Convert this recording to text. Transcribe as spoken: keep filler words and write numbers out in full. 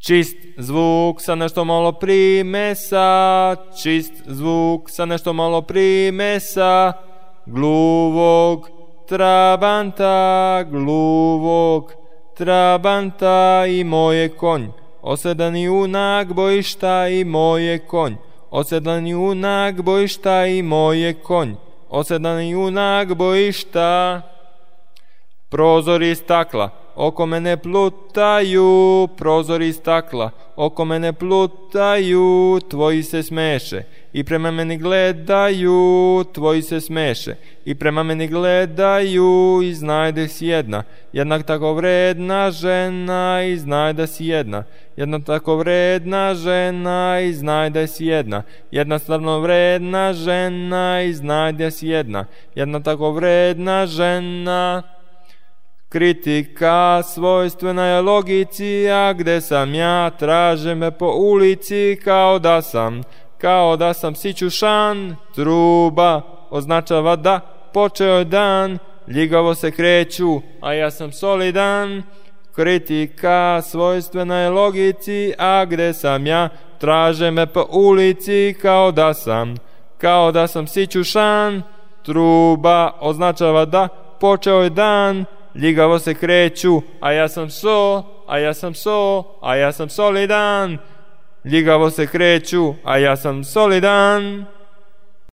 Čist zvuk sa nešto malo primesa, čist zvuk sa nešto malo primesa, gluvog trabanta, gluvog trabanta i moje konj. Osedlani junak bojišta i moje konj. Osedlani junak bojišta i moje konj. Osedlani junak bojišta. Prozori stakla oko mene plutaju, prozori stakla oko mene plutaju, tvoji se smeše i prema meni gledaju, tvoji se smeše i prema meni gledaju, i znaj da si jedna, jednak tako vredna žena, i znaj da si jedna, jedna tako vredna žena, i znaj da si jedna, jedna stvarno vredna žena, i znaj da si jedna, jedna tako vredna žena. Kritika svojstvena je logici, a gde sam ja, traže me po ulici, kao da sam, kao da sam sićušan. Truba označava da počeo je dan, ljigavo se kreću, a ja sam solidan. Kritika svojstvena je logici, a gde sam ja, traže me po ulici, kao da sam, kao da sam sićušan. Truba označava da počeo je dan, ljigavo se kreću, a ja sam so, a ja sam so, a ja sam solidan. Ljigavo se kreću, a ja sam solidan.